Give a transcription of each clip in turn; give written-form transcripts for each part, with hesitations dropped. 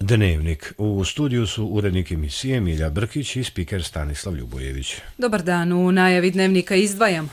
Dnevnik. U studiju su urednik emisije Milja Brkić i spiker Stanislav Ljubojević. Dobar dan, u najavi Dnevnika izdvajamo.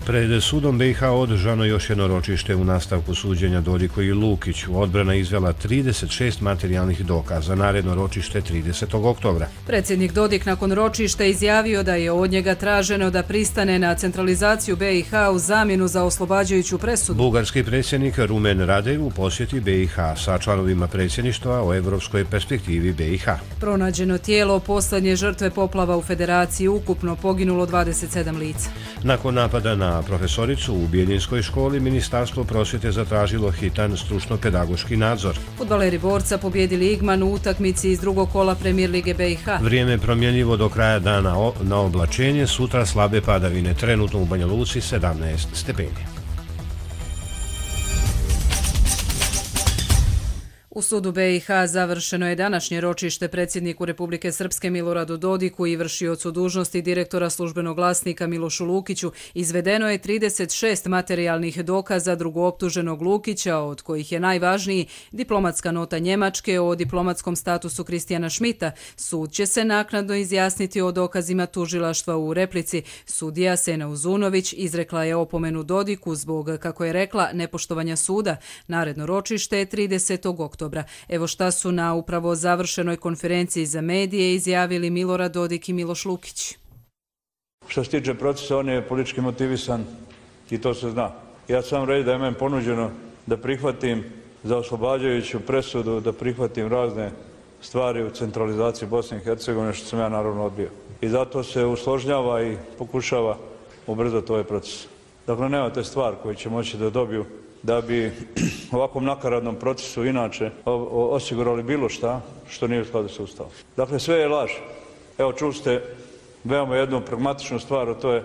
Pred sudom BiH održano još jedno ročište u nastavku suđenja Dodiku i Lukiću. Odbrana izvela 36 materijalnih dokaza, naredno ročište 30. oktobra. Predsjednik Dodik nakon ročišta izjavio da je od njega traženo da pristane na centralizaciju BiH u zamjenu za oslobađajuću presudu. Bugarski predsjednik Rumen Radev u posjeti BiH sa članovima predsjedništva o evropskoj perspektivi BiH. Pronađeno tijelo posljednje žrtve poplava u Federaciji, ukupno poginulo 27 lica. Nakon napada na profesoricu u Bijeljinskoj školi, Ministarstvo prosvjete zatražilo hitan stručno-pedagoški nadzor. Fudbaleri Borca pobjedili Igman u utakmici iz drugog kola Premijer Lige BiH. Vrijeme promjenjivo do kraja dana na oblačenje, sutra slabe padavine, trenutno u Banja Luci 17 stepeni. U sudu BiH završeno je današnje ročište predsjedniku Republike Srpske Miloradu Dodiku i vršiocu dužnosti direktora službenog glasnika Milošu Lukiću. Izvedeno je 36 materijalnih dokaza drugooptuženog Lukića, od kojih je najvažniji diplomatska nota Njemačke o diplomatskom statusu Kristijana Šmita. Sud će se naknadno izjasniti o dokazima tužilaštva u replici. Sudija Sena Uzunović izrekla je opomenu Dodiku zbog, kako je rekla, nepoštovanja suda. Naredno ročište je 30. oktobra. Evo šta su na upravo završenoj konferenciji za medije izjavili Milorad Dodik i Miloš Lukić. Što se tiče procesa, on je politički motivisan i to se zna. Ja sam reći da je meni ponuđeno da prihvatim za oslobađajuću presudu, da prihvatim razne stvari u centralizaciji Bosne i Hercegovine, što sam ja naravno odbio. I zato se usložnjava i pokušava ubrzati ovaj proces. Dakle, nemate stvar koju će moći da dobiju da bi ovakvom nakaradnom procesu inače osigurali bilo šta što nije u skladu sa Ustavom. Dakle, sve je laž. Evo, čuli ste veoma jednu pragmatičnu stvar, a to je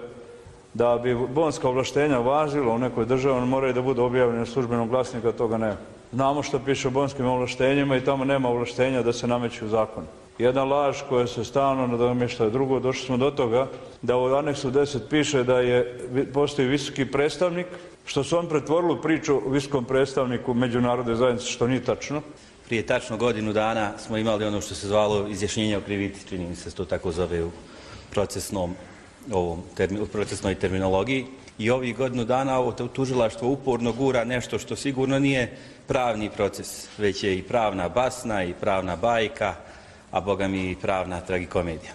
da bi bonska ovlaštenja važila u nekoj državi, one moraju da budu objavljene u službenom glasniku, a toga nema. Znamo što piše o bonskim ovlaštenjima i tamo nema ovlaštenja da se nameću u zakon. Jedna laž koja se stalno nadomješta drugo. Došli smo do toga da u aneksu 10 piše da postoji visoki predstavnik, što su on pretvorili u priču o visokom predstavniku međunarodne zajednice, što nije tačno. Prije tačno godinu dana smo imali ono što se zvalo izjašnjenje o krivici, čini mi se to tako zove u procesnoj terminologiji. I ovih godinu dana ovo tužilaštvo uporno gura nešto što sigurno nije pravni proces, već je i pravna basna i pravna bajka, a boga mi i pravna tragikomedija.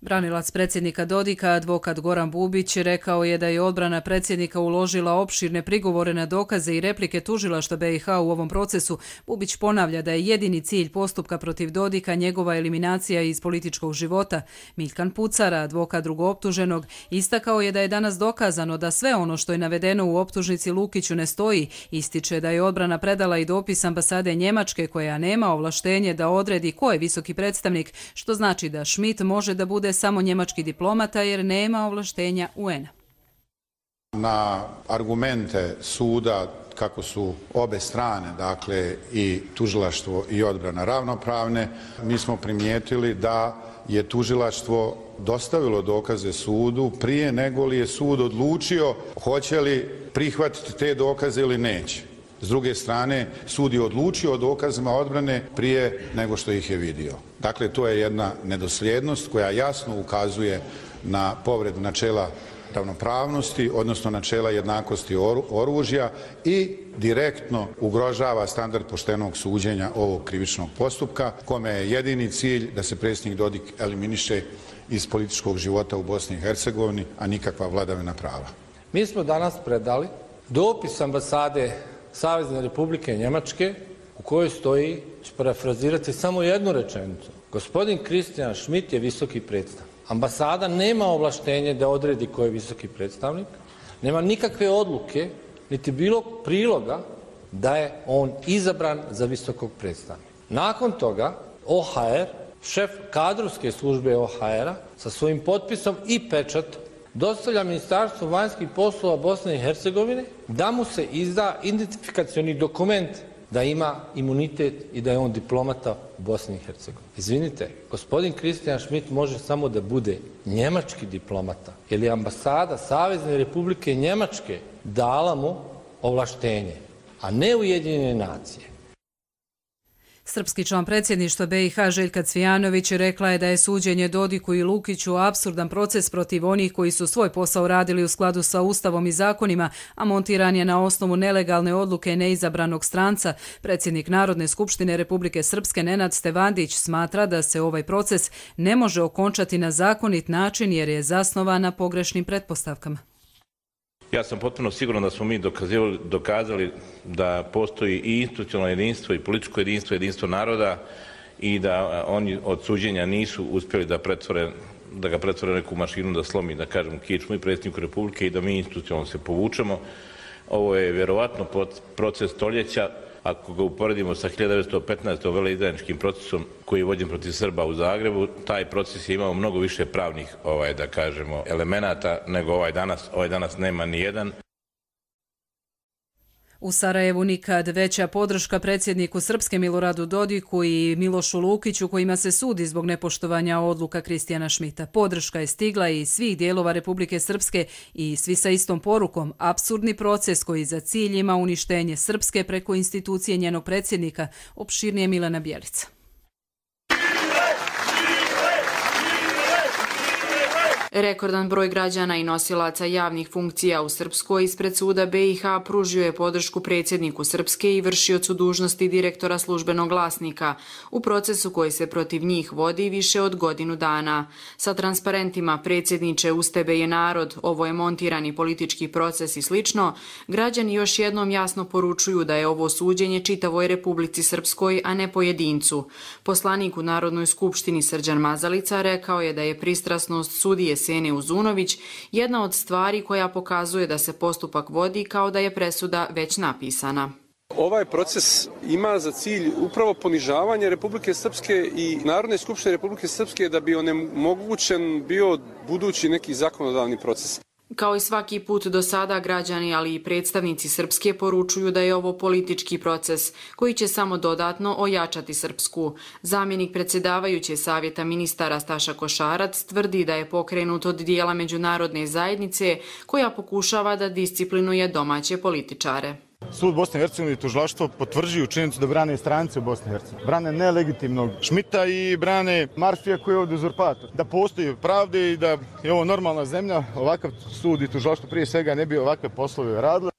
Branilac predsjednika Dodika, advokat Goran Bubić, rekao je da je odbrana predsjednika uložila opširne prigovore na dokaze i replike tužilaštva BiH u ovom procesu. Bubić ponavlja da je jedini cilj postupka protiv Dodika njegova eliminacija iz političkog života. Miljkan Pucara, advokat drugooptuženog, istakao je da je danas dokazano da sve ono što je navedeno u optužnici Lukiću ne stoji. Ističe da je odbrana predala i dopis ambasade Njemačke koja nema ovlaštenje da odredi ko je visoki predstavnik, što znači da Šmit može da bude samo njemački diplomata jer nema ovlaštenja UN-a. Na argumente suda kako su obe strane, dakle i tužilaštvo i odbrana ravnopravne, mi smo primijetili da je tužilaštvo dostavilo dokaze sudu prije nego li je sud odlučio hoće li prihvatiti te dokaze ili neće. S druge strane, sud je odlučio o dokazima odbrane prije nego što ih je vidio. Dakle, to je jedna nedosljednost koja jasno ukazuje na povredu načela ravnopravnosti, odnosno načela jednakosti oružja i direktno ugrožava standard poštenog suđenja ovog krivičnog postupka, kome je jedini cilj da se predsjednik Dodik eliminiše iz političkog života u Bosni i Hercegovini, a nikakva vladavina prava. Mi smo danas predali dopis ambasade Savezne Republike Njemačke u kojoj stoji, ću parafrazirati samo jednu rečenicu. Gospodin Kristijan Šmit je visoki predstavnik. Ambasada nema ovlaštenje da odredi ko je visoki predstavnik, nema nikakve odluke, niti bilo priloga da je on izabran za visokog predstavnika. Nakon toga OHR, šef kadrovske službe OHR-a sa svojim potpisom i pečatom dostavlja Ministarstvu vanjskih poslova Bosne i Hercegovine da mu se izda identifikacioni dokument da ima imunitet i da je on diplomata u Bosni i Hercegovini. Izvinite, gospodin Kristijan Šmit može samo da bude njemački diplomata, jer je ambasada Savezne Republike Njemačke dala mu ovlaštenje. a ne Ujedinjene nacije. Srpski član predsjedništva BiH Željka Cvijanović rekla je da je suđenje Dodiku i Lukiću apsurdan proces protiv onih koji su svoj posao radili u skladu sa Ustavom i zakonima, a montiran je na osnovu nelegalne odluke neizabranog stranca. Predsjednik Narodne skupštine Republike Srpske Nenad Stevandić smatra da se ovaj proces ne može okončati na zakonit način jer je zasnovan na pogrešnim pretpostavkama. Ja sam potpuno siguran da smo mi dokazali da postoji i institucionalno jedinstvo i političko jedinstvo, jedinstvo naroda i da oni od suđenja nisu uspjeli da ga pretvore neku mašinu, da slomi, da kažem, kičmu i predsjedniku Republike i da mi institucionalno se povučemo. Ovo je vjerovatno proces stoljeća. Ako ga uporedimo sa 1915. veleizdajničkim procesom koji je vođen protiv Srba u Zagrebu, taj proces je imao mnogo više pravnih, da kažemo, elemenata nego ovaj danas. Ovaj danas nema ni jedan. U Sarajevu nikad veća podrška predsjedniku Srpske Miloradu Dodiku i Milošu Lukiću kojima se sudi zbog nepoštovanja odluka Kristijana Šmita. Podrška je stigla iz svih dijelova Republike Srpske i svi sa istom porukom. Apsurdni proces koji za cilj ima uništenje Srpske preko institucije njenog predsjednika, opširnije Milena Bjelica. Rekordan broj građana i nosilaca javnih funkcija u Srpskoj ispred suda BiH pružio je podršku predsjedniku Srpske i vršiocu dužnosti direktora službenog glasnika u procesu koji se protiv njih vodi više od godinu dana. Sa transparentima predsjedniče uz tebe je narod, ovo je montirani politički proces i slično, građani još jednom jasno poručuju da je ovo suđenje čitavoj Republici Srpskoj, a ne pojedincu. Poslanik u Narodnoj skupštini Srđan Mazalica rekao je da je pristrasnost sudije Sene Uzunović jedna od stvari koja pokazuje da se postupak vodi kao da je presuda već napisana. Ovaj proces ima za cilj upravo ponižavanje Republike Srpske i Narodne skupštine Republike Srpske da bi onemogućen bio budući neki zakonodavni proces. Kao i svaki put do sada, građani, ali i predstavnici Srpske poručuju da je ovo politički proces koji će samo dodatno ojačati Srpsku. Zamjenik predsjedavajuće Savjeta ministara Staša Košarac tvrdi da je pokrenut od dijela međunarodne zajednice koja pokušava da disciplinuje domaće političare. Sud Bosne i Hercegovine i tužilaštvo potvrđuju činjenicu da brane strance u Bosni i Hercegovini. Brane nelegitimnog Šmita i brane Marfija koji je ovdje uzurpator. Da postoji pravde i da je ovo normalna zemlja, ovakav sud i tužilaštvo prije svega ne bi ovakve poslove radile.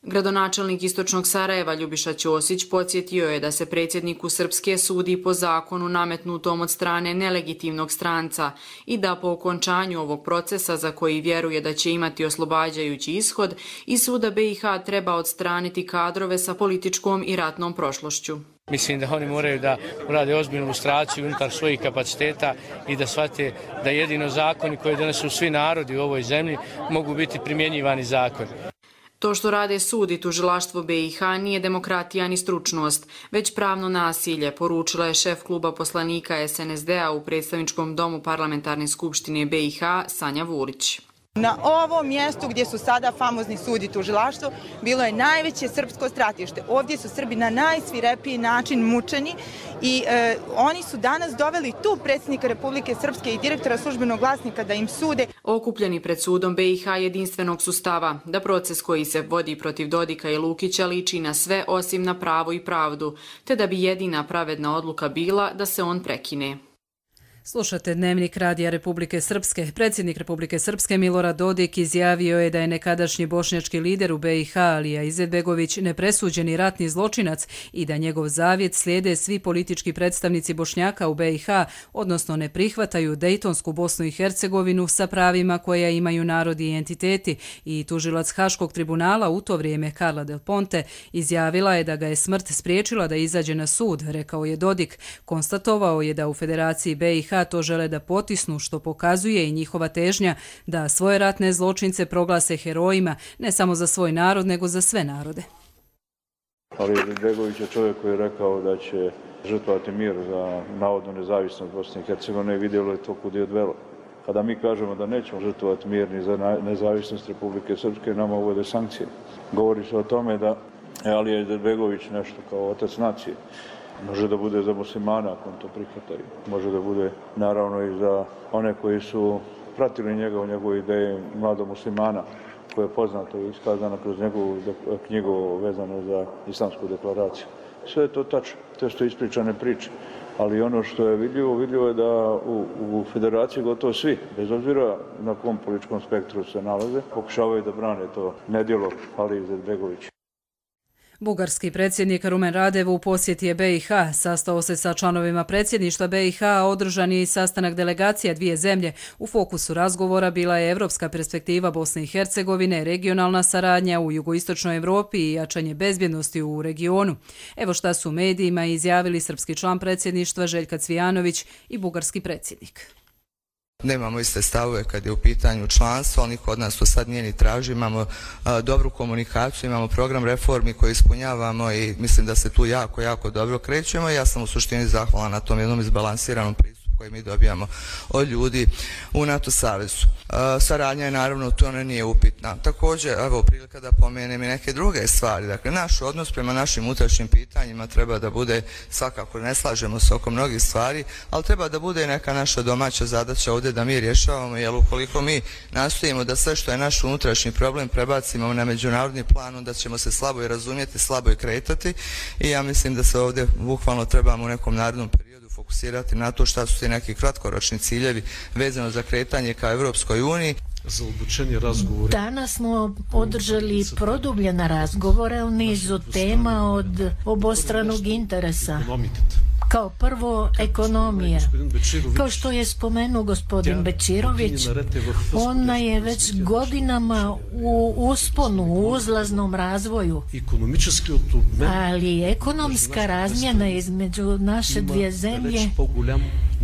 Gradonačelnik Istočnog Sarajeva Ljubiša Ćosić podsjetio je da se predsjedniku Srpske sudi po zakonu nametnutom od strane nelegitimnog stranca i da po okončanju ovog procesa za koji vjeruje da će imati oslobađajući ishod i suda BiH treba odstraniti kadrove sa političkom i ratnom prošlošću. Mislim da oni moraju da urade ozbiljnu lustraciju unutar svojih kapaciteta i da shvate da jedino zakoni koje donesu svi narodi u ovoj zemlji mogu biti primjenjivani zakoni. To što rade sud i tužilaštvo BiH nije demokratija ni stručnost, već pravno nasilje, poručila je šef kluba poslanika SNSD-a u predstavničkom domu parlamentarne skupštine BiH Sanja Vulić. Na ovom mjestu gdje su sada famozni sud i tužilaštvo bilo je najveće srpsko stratište. Ovdje su Srbi na najsvirepiji način mučeni i oni su danas doveli tu predsjednika Republike Srpske i direktora službenog glasnika da im sude. Okupljeni pred sudom BiH jedinstvenog su stava da proces koji se vodi protiv Dodika i Lukića liči na sve osim na pravo i pravdu, te da bi jedina pravedna odluka bila da se on prekine. Slušate Dnevnik Radija Republike Srpske. Predsjednik Republike Srpske Milorad Dodik izjavio je da je nekadašnji bošnjački lider u BiH Alija Izetbegović nepresuđeni ratni zločinac i da njegov zavjet slijede svi politički predstavnici Bošnjaka u BiH, odnosno ne prihvataju Dejtonsku Bosnu i Hercegovinu sa pravima koja imaju narodi i entiteti. I tužilac Haškog tribunala u to vrijeme Carla Del Ponte izjavila je da ga je smrt spriječila da izađe na sud, rekao je Dodik. Konstatovao je da u Federaciji BiH to žele da potisnu, što pokazuje i njihova težnja da svoje ratne zločince proglase herojima, ne samo za svoj narod, nego za sve narode. Ali Izetbegović je čovjek koji je rekao da će žrtvovati mir za navodnu nezavisnost Bosne i Hercegovine i vidjelo je to kud je odvelo. Kada mi kažemo da nećemo žrtvovati mir ni za nezavisnost Republike Srpske, nama uvode sankcije. Govori se o tome da je Alija Izetbegović nešto kao otac nacije. Može da bude za muslimana ako on to prihvataju. Može da bude naravno i za one koji su pratili njegove ideje mladog muslimana. koje je poznato i iskazano kroz njegovu knjigu vezano za Islamsku deklaraciju. Sve je to tačno, to što ispričane priče. Ali ono što je vidljivo je da u federaciji gotovo svi, bez obzira na kom političkom spektru se nalaze, pokušavaju da brane to nedjelo Ali Izetbegovića. Bugarski predsjednik Rumen Radev u posjeti je BiH, sastao se sa članovima predsjedništva BiH, održan je i sastanak delegacija dvije zemlje. U fokusu razgovora bila je evropska perspektiva Bosne i Hercegovine, regionalna saradnja u jugoistočnoj Europi i jačanje bezbjednosti u regionu. Evo šta su medijima izjavili srpski član predsjedništva Željka Cvijanović i bugarski predsjednik. Nemamo iste stavove kad je u pitanju članstvo, ali niko od nas to sad nije ni traži. Imamo dobru komunikaciju, imamo program reformi koji ispunjavamo i mislim da se tu jako dobro krećemo. Ja sam u suštini zahvalan na tom jednom izbalansiranom pristupu koji mi dobijamo od ljudi u NATO savezu. Saradnja je naravno tu, ona nije upitna. Također, evo, prilika da pomenem i neke druge stvari. Dakle, naš odnos prema našim unutrašnjim pitanjima treba da bude, svakako ne slažemo se oko mnogih stvari, ali treba da bude neka naša domaća zadaća ovdje da mi rješavamo, jer ukoliko mi nastojimo da sve što je naš unutrašnji problem prebacimo na međunarodni plan, onda ćemo se slabo i razumjeti, slabo i kretati i ja mislim da se ovdje bukvalno trebamo u nekom narednom periodu fokusirati na to šta su ti neki kratkoročni ciljevi vezano za kretanje ka Evropskoj uniji. Danas smo održali produbljene razgovore o nizu tema od obostranog interesa. Kao prvo, ekonomija. Kao što je spomenuo gospodin Bečirović, ona je već godinama u usponu, u uzlaznom razvoju. Ali ekonomska razmjena između naše dvije zemlje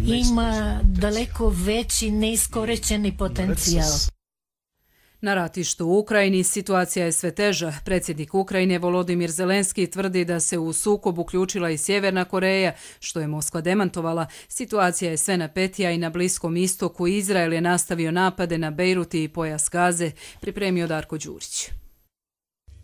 ima daleko veći neiskorišćeni potencijal. Na ratištu u Ukrajini situacija je sve teža. Predsjednik Ukrajine Volodimir Zelenski tvrdi da se u sukob uključila i Sjeverna Koreja, što je Moskva demantovala. Situacija je sve napetija i na Bliskom istoku. Izrael je nastavio napade na Bejrut i pojas Gaze, pripremio Darko Đurić.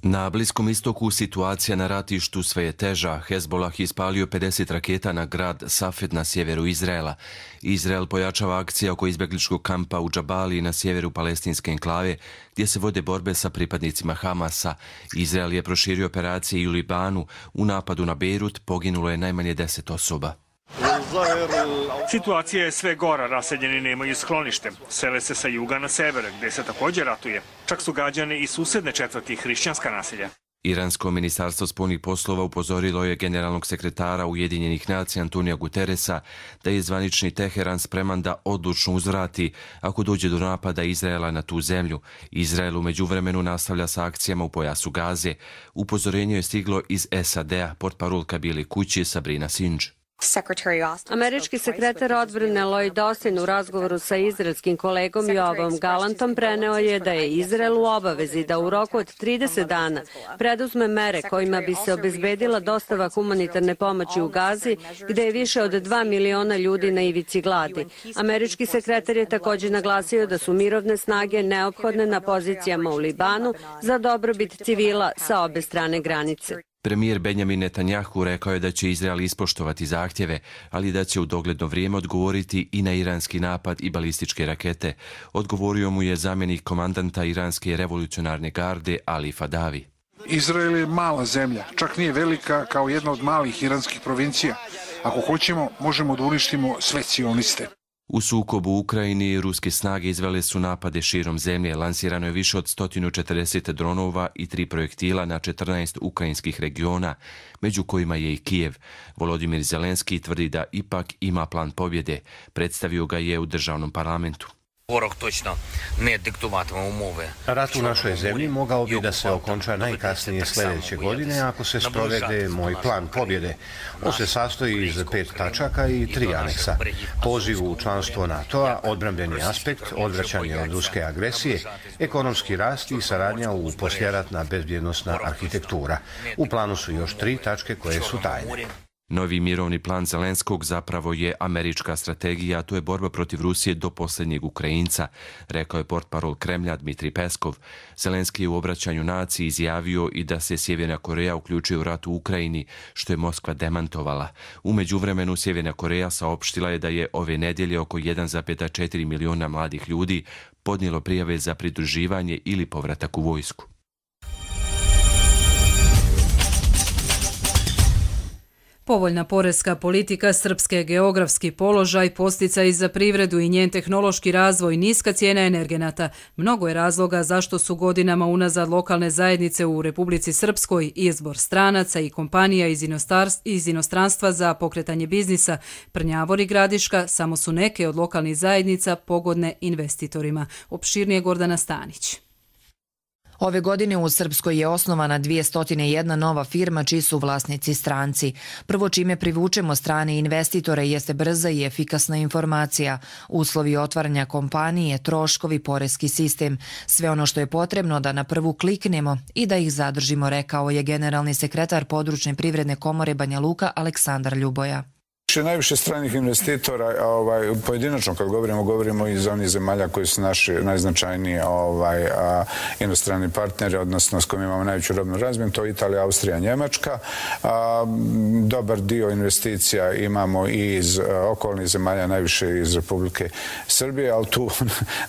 Na Bliskom istoku situacija na ratištu sve je teža. Hezbolah ispalio 50 raketa na grad Safed na sjeveru Izraela. Izrael pojačava akcije oko izbjegličkog kampa u Džabali na sjeveru palestinske enklave, gdje se vode borbe sa pripadnicima Hamasa. Izrael je proširio operacije i u Libanu. U napadu na Bejrut poginulo je najmanje 10 osoba. Situacija je sve gora, raseljeni nemaju sklonište. Sele se sa juga na sever, gdje se također ratuje. Čak su gađane i susedne četvrti hrišćanska naselja. Iransko ministarstvo spoljnih poslova upozorilo je generalnog sekretara Ujedinjenih nacija Antonija Guterresa da je zvanični Teheran spreman da odlučno uzvrati ako dođe do napada Izraela na tu zemlju. Izrael u međuvremenu nastavlja sa akcijama u pojasu Gaze. Upozorenje je stiglo iz SAD-a, portparolka Bijele kuće Sabrina Sindž. Američki sekretar odbrane Lloyd Austin u razgovoru sa izraelskim kolegom Joavom Gallantom preneo je da je Izrael u obavezi da u roku od 30 dana preduzme mere kojima bi se obezbedila dostava humanitarne pomoći u Gazi, gde je više od 2 miliona ljudi na ivici gladi. Američki sekretar je također naglasio da su mirovne snage neophodne na pozicijama u Libanu za dobrobit civila sa obe strane granice. Premijer Benjamin Netanjahu rekao je da će Izrael ispoštovati zahtjeve, ali da će u dogledno vrijeme odgovoriti i na iranski napad i balističke rakete. Odgovorio mu je zamjenik komandanta iranske revolucionarne garde Ali Fadavi. Izrael je mala zemlja, čak nije velika kao jedna od malih iranskih provincija. Ako hoćemo, možemo da uništimo sve sioniste. U sukobu u Ukrajini ruske snage izvele su napade širom zemlje. Lansirano je više od 140 dronova i 3 projektila na 14 ukrajinskih regiona, među kojima je i Kijev. Volodimir Zelenski tvrdi da ipak ima plan pobjede. Predstavio ga je u državnom parlamentu. Rat u našoj zemlji mogao bi da se okonča najkasnije sljedeće godine ako se sprovede moj plan pobjede. On se sastoji iz 5 tačaka i 3 aneksa. Poziv u članstvo NATO-a, odbrambeni aspekt, odvraćanje od ruske agresije, ekonomski rast i saradnja u posljeratna bezbjednosna arhitektura. U planu su još 3 tačke koje su tajne. Novi mirovni plan Zelenskog zapravo je američka strategija, a to je borba protiv Rusije do posljednjeg Ukrajinca, rekao je portparol Kremlja Dmitrij Peskov. Zelenski je u obraćanju naciji izjavio i da se Sjeverna Koreja uključuje u rat u Ukrajini, što je Moskva demantovala. U međuvremenu Sjeverna Koreja saopštila je da je ove nedjelje oko 1,4 miliona mladih ljudi podnijelo prijave za pridruživanje ili povratak u vojsku. Povoljna poreska politika Srpske, geografski položaj, posticaj za privredu i njen tehnološki razvoj, niska cijena energenata. Mnogo je razloga zašto su godinama unazad lokalne zajednice u Republici Srpskoj izbor stranaca i kompanija iz inostranstva za pokretanje biznisa. Prnjavor i Gradiška samo su neke od lokalnih zajednica pogodne investitorima. Opširnije Gordana Stanić. Ove godine u Srpskoj je osnovana 201 nova firma čiji su vlasnici stranci. Prvo čime privučemo strane investitore jeste brza i efikasna informacija, uslovi otvaranja kompanije, troškovi, poreski sistem, sve ono što je potrebno da na prvu kliknemo i da ih zadržimo, rekao je generalni sekretar Područne privredne komore Banja Luka Aleksandar Ljuboja. Najviše stranih investitora, pojedinačno kad govorimo iz onih zemalja koji su naši najznačajniji inostrani partneri, odnosno s kojima imamo najveću robnu razmjenu, to je Italija, Austrija, Njemačka. Dobar dio investicija imamo i iz okolnih zemalja, najviše iz Republike Srbije, ali tu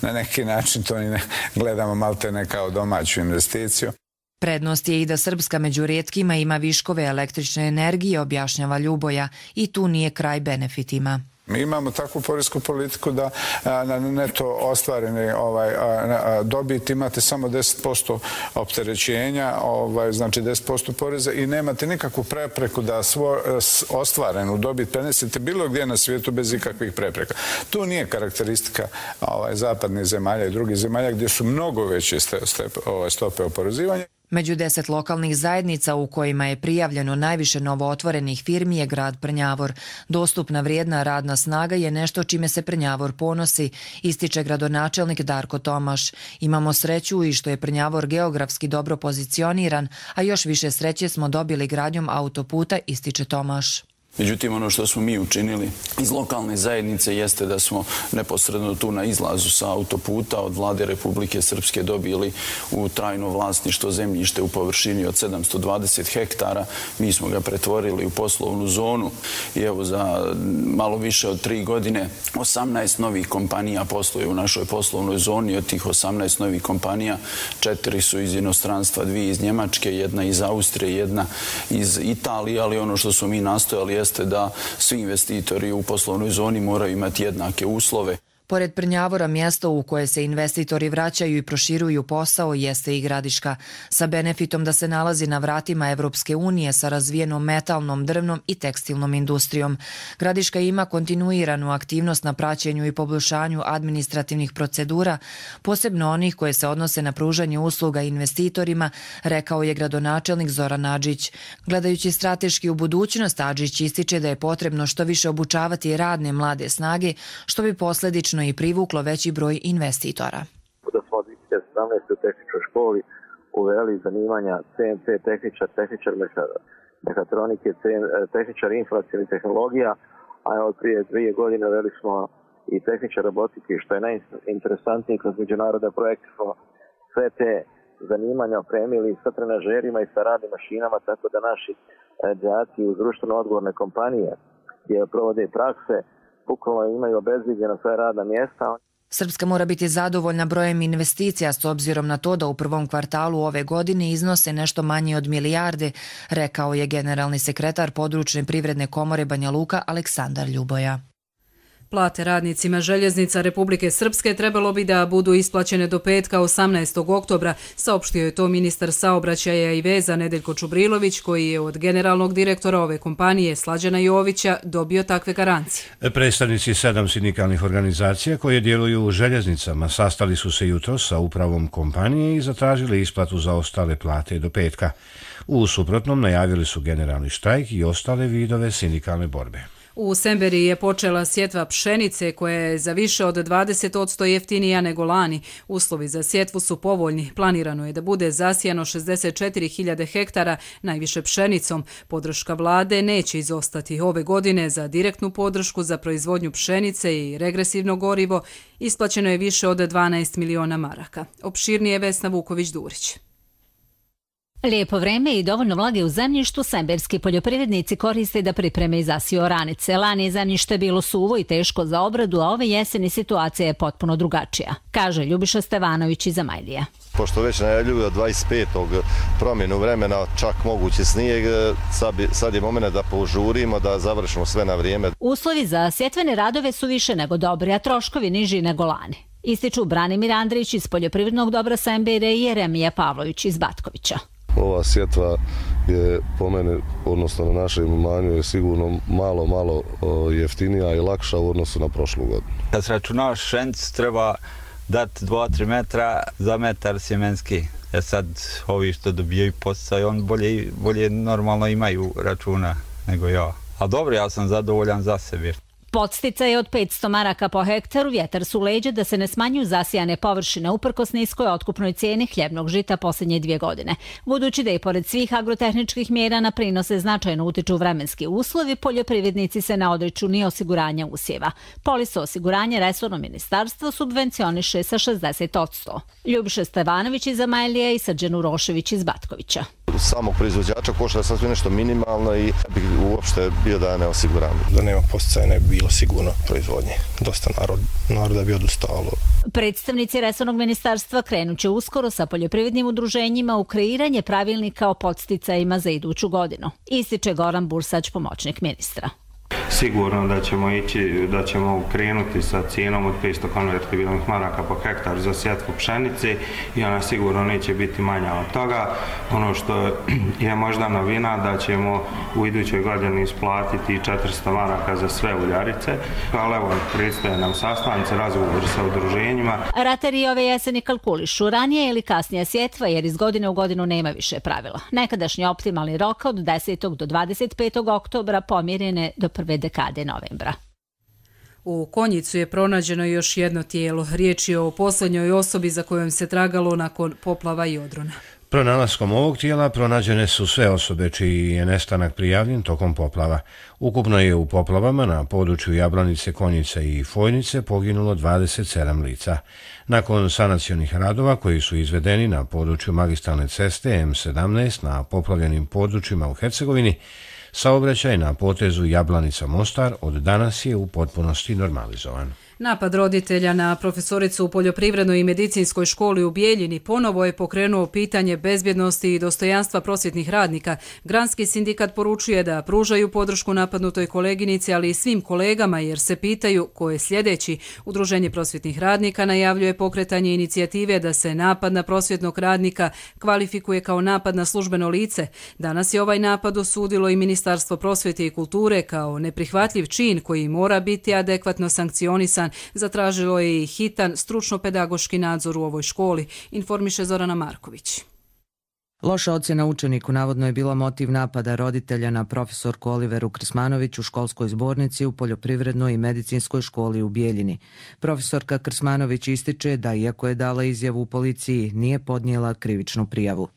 na neki način to ne gledamo malte ne kao domaću investiciju. Prednost je i da Srpska među rijetkima ima viškove električne energije, objašnjava Ljuboja, i tu nije kraj benefitima. Mi imamo takvu poresku politiku da na neto ostvarene dobit imate samo 10% opterećenja, znači 10% poreza i nemate nikakvu prepreku da ostvarenu dobit prenesete bilo gdje na svijetu bez ikakvih prepreka. Tu nije karakteristika zapadnih zemalja i drugih zemalja gdje su mnogo veće stope oporezivanja. Među 10 lokalnih zajednica u kojima je prijavljeno najviše novootvorenih firmi je grad Prnjavor. Dostupna vrijedna radna snaga je nešto čime se Prnjavor ponosi, ističe gradonačelnik Darko Tomaš. Imamo sreću i što je Prnjavor geografski dobro pozicioniran, a još više sreće smo dobili gradnjom autoputa, ističe Tomaš. Međutim, ono što smo mi učinili iz lokalne zajednice jeste da smo neposredno tu na izlazu sa autoputa od Vlade Republike Srpske dobili u trajno vlasništvo zemljište u površini od 720 hektara. Mi smo ga pretvorili u poslovnu zonu i evo za malo više od 3 godine 18 novih kompanija posluje u našoj poslovnoj zoni. Od tih 18 novih kompanija 4 su iz inostranstva, 2 iz Njemačke, 1 iz Austrije, 1 iz Italije, ali ono što smo mi nastojali jeste da svi investitori u poslovnoj zoni moraju imati jednake uslove. Pored Prnjavora, mjesto u koje se investitori vraćaju i proširuju posao jeste i Gradiška, sa benefitom da se nalazi na vratima Evropske unije sa razvijenom metalnom, drvnom i tekstilnom industrijom. Gradiška ima kontinuiranu aktivnost na praćenju i poboljšanju administrativnih procedura, posebno onih koje se odnose na pružanje usluga investitorima, rekao je gradonačelnik Zoran Adžić. Gledajući strateški u budućnost, Adžić ističe da je potrebno što više obučavati radne mlade snage, što bi posljedično i privuklo veći broj investitora. Da smo od 2017. u tehničkoj školi uveli zanimanja CNC tehničar, tehničar mehatronike, tehničar informacijnih tehnologija, a od prije 2 godine uveli smo i tehničar robotike, što je najinteresantnije kroz međunarodne projekte smo sve te zanimanja opremili sa trenažerima i sa radnim mašinama, tako da naši đaci uz društveno odgovorne kompanije gdje provode prakse bukvalno imaju obezbijeđena sva radna mjesta. Srpska mora biti zadovoljna brojem investicija s obzirom na to da u prvom kvartalu ove godine iznose nešto manje od milijarde, rekao je generalni sekretar Područne privredne komore Banja Luka Aleksandar Ljuboja. Plate radnicima željeznica Republike Srpske trebalo bi da budu isplaćene do petka 18. oktobra, saopštio je to ministar saobraćaja i veza Nedeljko Čubrilović, koji je od generalnog direktora ove kompanije Slađana Jovića dobio takve garancije. Predstavnici 7 sindikalnih organizacija koje djeluju u željeznicama sastali su se jutros sa upravom kompanije i zatražili isplatu za ostale plate do petka. U suprotnom najavili su generalni štrajk i ostale vidove sindikalne borbe. U Semberiji je počela sjetva pšenice koja je za više od 20% jeftinija nego lani. Uslovi za sjetvu su povoljni. Planirano je da bude zasijano 64.000 hektara, najviše pšenicom. Podrška vlade neće izostati. Ove godine za direktnu podršku za proizvodnju pšenice i regresivno gorivo isplaćeno je više od 12 miliona maraka. Opširnije Vesna Vuković-Durić. Lijepo vreme i dovoljno vlage u zemljištu semberski poljoprivrednici koriste da pripreme i zasiju oranice. Lani je zemljište bilo suvo i teško za obradu, a ove jeseni situacija je potpuno drugačija, kaže Ljubiša Stevanović iz Amajlija. Pošto već najavljuju od 25. promjenu vremena, čak mogući snijeg, sad je moment da požurimo, da završimo sve na vrijeme. Uslovi za sjetvene radove su više nego dobri, a troškovi niži nego lani. Ističu Branimir Andrić iz poljoprivrednog dobra Sembere i Jeremija Pavlović iz Batkovića. Ova sjetva je po mene, odnosno na našem imanju, je sigurno malo jeftinija i lakša u odnosu na prošlu godinu. Kad se računavaš pšenicu, treba dati 2-3 metra za metar sjemenski. Sad ovi što dobijaju posao, on bolje normalno imaju računa nego ja. A dobro, ja sam zadovoljan za sebe. Podsticaj je od 500 maraka po hektaru, vjetar su leđa da se ne smanjuju zasijane površine uprkos niskoj otkupnoj cijeni hljebnog žita posljednje 2 godine. Budući da i pored svih agrotehničkih mjera na prinose značajno utiču vremenski uslovi, poljoprivrednici se ne odriču ni osiguranja usjeva. Poliso osiguranje resorno ministarstvo subvencioniše sa 60%. Ljubiša Stevanović iz Amajlije i Srđan Urošević iz Batkovića. Samog proizvođača košta sasvim nešto minimalno i bi uopšte bio da ne osiguram. Da nema posticaja ne bi bilo sigurno proizvodnje. Dosta naroda bi odustalo. Predstavnici resornog ministarstva krenut će uskoro sa poljoprivrednim udruženjima u kreiranje pravilnika o podsticajima za iduću godinu. Ističe Goran Bursać, pomoćnik ministra. Sigurno da ćemo krenuti sa cijenom od 500 konvertibilnih maraka po hektaru za sjetvu pšenice i ona sigurno neće biti manja od toga. Ono što je možda novina da ćemo u idućoj godini isplatiti 400 maraka za sve uljarice, ali evo predstoje nam sastanci, razgovori sa udruženjima. Ratari ove jeseni kalkulišu ranije ili kasnije sjetva jer iz godine u godinu nema više pravila. Nekadašnji optimalni rok od 10. do 25. oktobra pomjeren je do prve dekade novembra. U Konjicu je pronađeno još jedno tijelo. Riječ je o posljednjoj osobi za kojom se tragalo nakon poplava i odrona. Pronalaskom ovog tijela pronađene su sve osobe čiji je nestanak prijavljen tokom poplava. Ukupno je u poplavama na području Jablanice, Konjice i Fojnice poginulo 27 lica. Nakon sanacionih radova koji su izvedeni na području magistralne ceste M17 na poplavljenim područjima u Hercegovini, saobraćaj na potezu Jablanica-Mostar od danas je u potpunosti normalizovan. Napad roditelja na profesoricu u poljoprivrednoj i medicinskoj školi u Bijeljini ponovo je pokrenuo pitanje bezbjednosti i dostojanstva prosvjetnih radnika. Granski sindikat poručuje da pružaju podršku napadnutoj koleginici, ali i svim kolegama jer se pitaju ko je sljedeći. Udruženje prosvjetnih radnika najavljuje pokretanje inicijative da se napad na prosvjetnog radnika kvalifikuje kao napad na službeno lice. Danas je ovaj napad osudilo i Ministarstvo prosvjete i kulture kao neprihvatljiv čin koji mora biti adekvatno sankcionisan. Zatražilo je i hitan stručno-pedagoški nadzor u ovoj školi, informiše Zorana Marković. Loša ocjena učeniku navodno je bila motiv napada roditelja na profesorku Oliveru Krsmanović u školskoj zbornici u poljoprivrednoj i medicinskoj školi u Bijeljini. Profesorka Krsmanović ističe da iako je dala izjavu u policiji, nije podnijela krivičnu prijavu.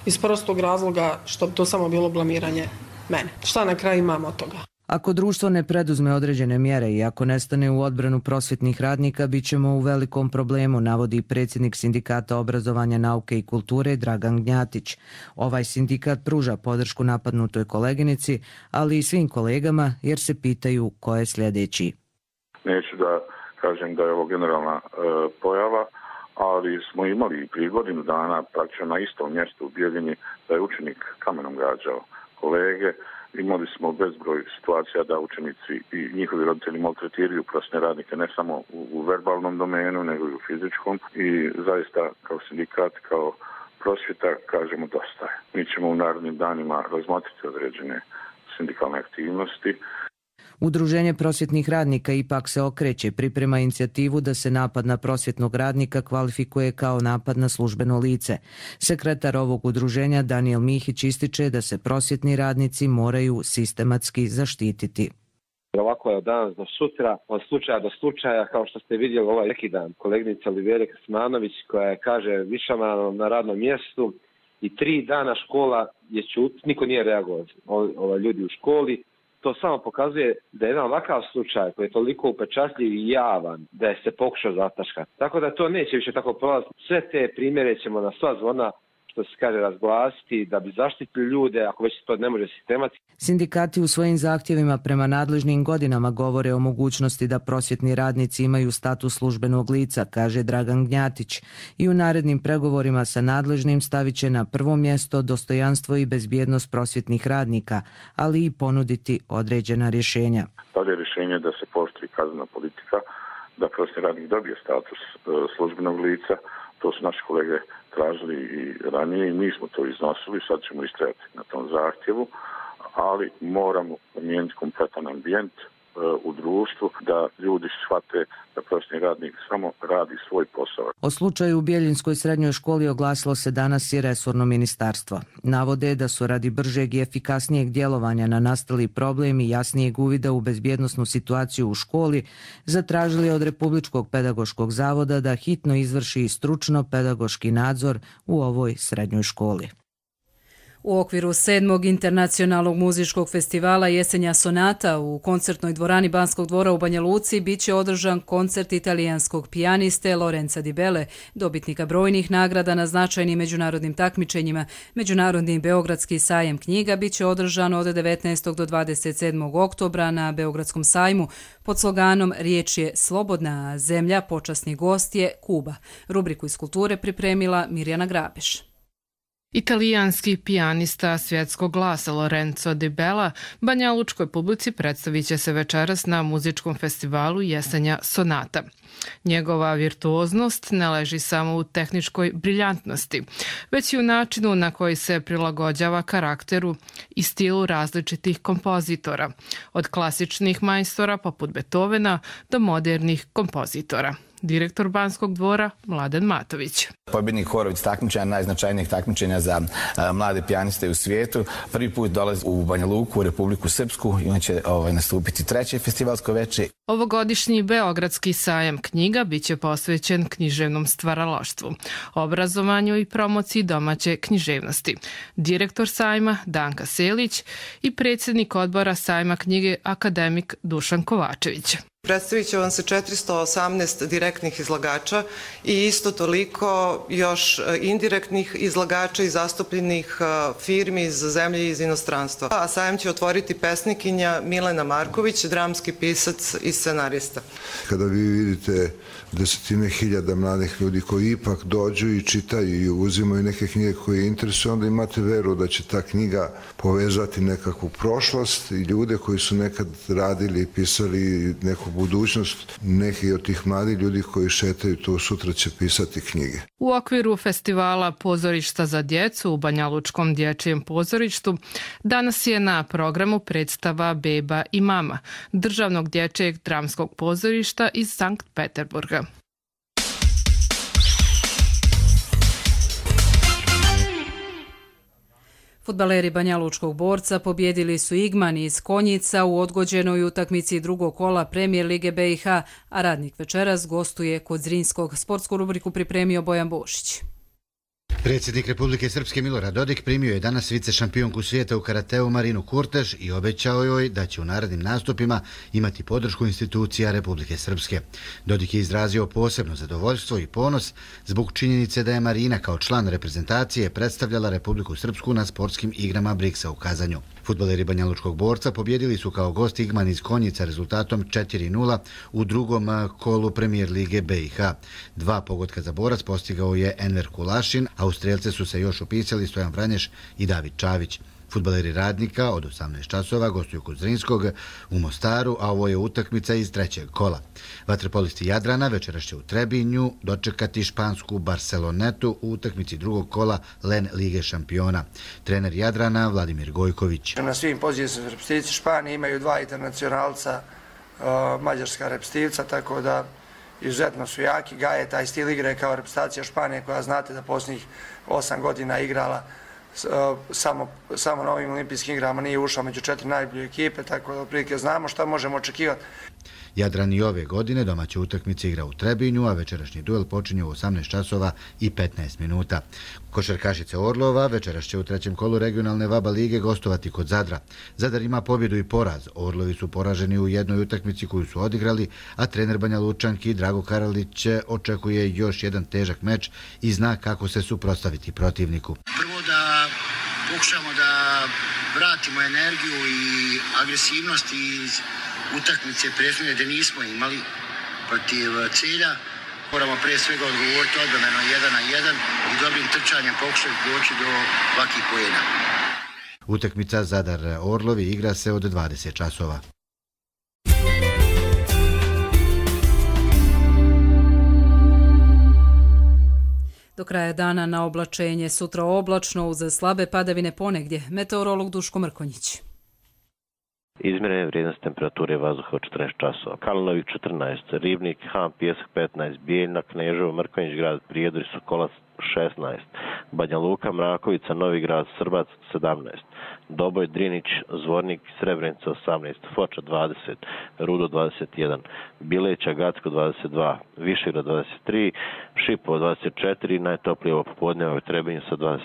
Iz prostog razloga što bi to samo bilo blamiranje mene. Šta na kraju imamo od toga? Ako društvo ne preduzme određene mjere i ako nestane u odbranu prosvjetnih radnika, bit ćemo u velikom problemu, navodi predsjednik Sindikata obrazovanja, nauke i kulture Dragan Gnjatić. Ovaj sindikat pruža podršku napadnutoj koleginici, ali i svim kolegama jer se pitaju ko je sljedeći. Neću da kažem da je ovo generalna pojava, ali smo imali prije godinu dana praktično na istom mjestu u Bijeljini da je učenik kamenom gađao kolege. Imali smo bezbroj situacija da učenici i njihovi roditelji maltretiraju prosvjetne radnike ne samo u verbalnom domenu, nego i u fizičkom. I zaista kao sindikat, kao prosvjeta kažemo dosta je. Mi ćemo u narednim danima razmotriti određene sindikalne aktivnosti. Udruženje prosvjetnih radnika ipak se okreće, priprema inicijativu da se napad na prosvjetnog radnika kvalifikuje kao napad na službeno lice. Sekretar ovog udruženja Daniel Mihić ističe da se prosvjetni radnici moraju sistematski zaštititi. Ovako je od danas do sutra, od slučaja do slučaja, kao što ste vidjeli ovaj neki dan. Koleginica Olivera Krsmanović koja je, kaže, višama na radnom mjestu i 3 dana škola je čut, niko nije reagovao, ljudi u školi. To samo pokazuje da je jedan ovakav slučaj koji je toliko upečatljiv i javan da je se pokušao zataškati. Tako da to neće više tako prolaziti. Sve te primjere ćemo na sva zvona što se kaže, razglasiti, da bi zaštitili ljude, ako već to ne može sistematski. Sindikati u svojim zahtjevima prema nadležnim godinama govore o mogućnosti da prosvjetni radnici imaju status službenog lica, kaže Dragan Gnjatić. I u narednim pregovorima sa nadležnim stavit će na prvo mjesto dostojanstvo i bezbjednost prosvjetnih radnika, ali i ponuditi određena rješenja. Dalje je rješenje da se pooštri kaznena politika, da prosvjetni radnik dobije status službenog lica. To su naši kolege tražili i ranije i mi smo to iznosili, sad ćemo istrajati na tom zahtjevu, ali moramo promijeniti kompletan ambijent u društvu, da ljudi shvate da prosvjetni radnik samo radi svoj posao. O slučaju u Bjeljinskoj srednjoj školi oglasilo se danas i resorno ministarstvo. Navode da su radi bržeg i efikasnijeg djelovanja na nastali problem i jasnijeg uvida u bezbjednosnu situaciju u školi zatražili od Republičkog pedagoškog zavoda da hitno izvrši stručno pedagoški nadzor u ovoj srednjoj školi. U okviru 7. internacionalnog muzičkog festivala Jesenja sonata u koncertnoj dvorani Banskog dvora u Banja Luci biće održan koncert italijanskog pijaniste Lorenza Di Belle, dobitnika brojnih nagrada na značajnim međunarodnim takmičenjima. Međunarodni Beogradski sajam knjiga biće održan od 19. do 27. oktobra na Beogradskom sajmu pod sloganom "Riječ je slobodna zemlja, počasni gost je Kuba". Rubriku iz kulture pripremila Mirjana Grabeš. Italijanski pijanista svjetskog glasa Lorenzo Di Bella banjalučkoj publici predstavit će se večeras na muzičkom festivalu Jesenja sonata. Njegova virtuoznost ne leži samo u tehničkoj briljantnosti, već i u načinu na koji se prilagođava karakteru i stilu različitih kompozitora, od klasičnih majstora poput Beethovena do modernih kompozitora. Direktor Banskog dvora Mladen Matović. Pobjednik Horović takmičenja, najznačajnijeg takmičenja za mlade pijaniste u svijetu. Prvi put dolazi u Banja Luku, u Republiku Srpsku i on će nastupiti treće festivalsko veče. Ovogodišnji Beogradski sajam knjiga biće posvećen književnom stvaralaštvu, obrazovanju i promociji domaće književnosti. Direktor sajma Danka Selić i predsjednik odbora sajma knjige akademik Dušan Kovačević. Predstavit će vam se 418 direktnih izlagača i isto toliko još indirektnih izlagača i zastupljenih firmi iz zemlje i iz inostranstva. A sajam će otvoriti pesnikinja Milena Marković, dramski pisac i scenarista. Kada vi vidite desetine hiljada mladih ljudi koji ipak dođu i čitaju i uzimaju neke knjige koje interesuju, onda imate veru da će ta knjiga povezati nekakvu prošlost i ljude koji su nekad radili i pisali neku budućnost. Neki od tih mladih ljudi koji šetaju tu sutra će pisati knjige. U okviru festivala Pozorišta za djecu u Banjalučkom dječjem pozorištu danas je na programu predstava Beba i mama državnog dječjeg dramskog pozorišta iz Sankt Peterburga. Fudbaleri Banjalučkog Borca pobjedili su Igman iz Konjica u odgođenoj utakmici drugog kola Premijer Lige BiH, a Radnik večeras gostuje kod Zrinskog. Sportsku rubriku pripremio Bojan Bošić. Predsjednik Republike Srpske Milorad Dodik primio je danas vice šampionku svijeta u karateu Marinu Kurtež i obećao joj da će u narednim nastupima imati podršku institucija Republike Srpske. Dodik je izrazio posebno zadovoljstvo i ponos zbog činjenice da je Marina kao član reprezentacije predstavljala Republiku Srpsku na sportskim igrama Briksa u Kazanju. Fudbaleri Banjalučkog Borca pobjedili su kao gost Igman iz Konjica rezultatom 4:0 u drugom kolu Premijer Lige BiH. 2 pogotka za Borac postigao je Enver Kulašin, a u strelce su se još upisali Stojan Vranješ i David Čavić. Fudbaleri Radnika od 18 časova gostuju kod Zrinskog u Mostaru, a ovo je utakmica iz trećeg kola. Vaterpolisti Jadrana večeras će u Trebinju dočekati špansku Barcelonetu u utakmici drugog kola LEN Lige šampiona. Trener Jadrana Vladimir Gojković. Na svim pozicijama reprezentacije Španije imaju 2 internacionalca, mađarska reprezentacija, tako da izuzetno su jaki. Gaje taj stil igre kao reprezentacija Španije koja znate da posljednjih 8 godina igrala samo na ovim olimpijskim igrama, nije ušla među 4 najbolje ekipe, tako da otprilike znamo šta možemo očekivati. Jadran i ove godine domaće utakmice igra u Trebinju, a večerašnji duel počinje u 18 časova i 15 minuta. Košarkašice Orlova večeras će u trećem kolu regionalne VABA lige gostovati kod Zadra. Zadar ima pobjedu i poraz. Orlovi su poraženi u jednoj utakmici koju su odigrali, a trener Banja Lučanki Drago Karalić očekuje još jedan težak meč i zna kako se suprotstaviti protivniku. Prvo da pokušamo da vratimo energiju i agresivnost iz utakmice prethodne da nismo imali protiv Celja. Moramo pre svega odgovoriti odbrano 1-1 i dobrim trčanjem pokušati doći do ovakvih poena. Utakmica Zadar-Orlovi igra se od 20 časova. Do kraja dana na oblačenje, sutra oblačno uz slabe padavine ponegdje. Meteorolog Duško Mrkonjić. Izmjerene vrijednost temperature vazduha od 14 časova. Kalinović 14, Ribnik, Han, Pjesak 15, Bijeljna, Kneževo, Mrkonjić grad, Prijedor i Sokolac 16, Banja Luka, Mrakovica, Novi grad, Srbac 17, Doboj, Drinić, Zvornik, Srebrenica 18, Foča 20, Rudo 21, Bileća, Gacko 22, Višegrad 23, Šipovo 24, najtoplije ovo popodne u Trebinju sa 25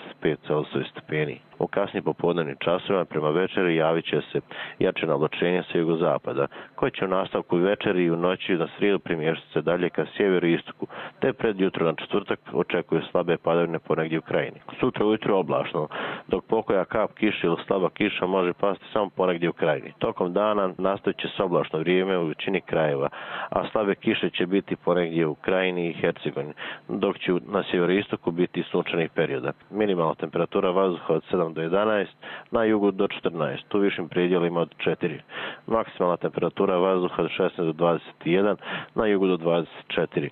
celsiusovih stepeni. U kasnim popodnevnim časovima prema večeri javit će se jače oblačenje sa jugozapada, koje će u nastavku večeri i u noći na srijedu primještati se dalje ka sjeveru i istoku, te pred jutro na četvrtak očekuju slabe padavine ponegdje u krajini. Sutra ujutro oblačno, dok pokoja kap kiše ili slaba kiša može pasti samo ponegdje u krajini. Tokom dana nastavit će se oblačno vrijeme u većini krajeva, a slabe kiše će biti ponegdje u krajini i Hercegovini, dok će na sjeveroistoku biti sunčanih perioda. Minimalna temperatura vazduha od 7 do 11, na jugu do 14, u višim predjelima od 4. Maksimalna temperatura vazduha od 16 do 21, na jugu do 24.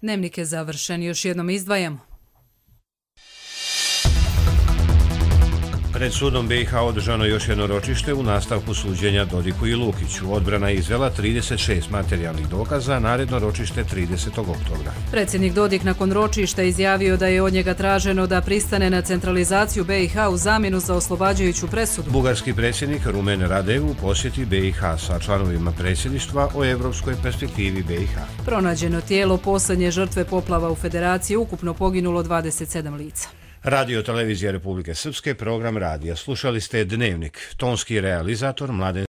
Dnevnik je završen, još jednom izdvajamo. Pred sudom BiH održano još jedno ročište u nastavku suđenja Dodiku i Lukiću. Odbrana je izvela 36 materijalnih dokaza, naredno ročište 30. oktobra. Predsjednik Dodik nakon ročišta izjavio da je od njega traženo da pristane na centralizaciju BiH u zamjenu za oslobađajuću presudu. Bugarski predsjednik Rumen Radev u posjeti BiH sa članovima predsjedništva o evropskoj perspektivi BiH. Pronađeno tijelo posljednje žrtve poplava u Federaciji, ukupno poginulo 27 lica. Radio Televizija Republike Srpske, program radija. Slušali ste Dnevnik, tonski realizator Mladen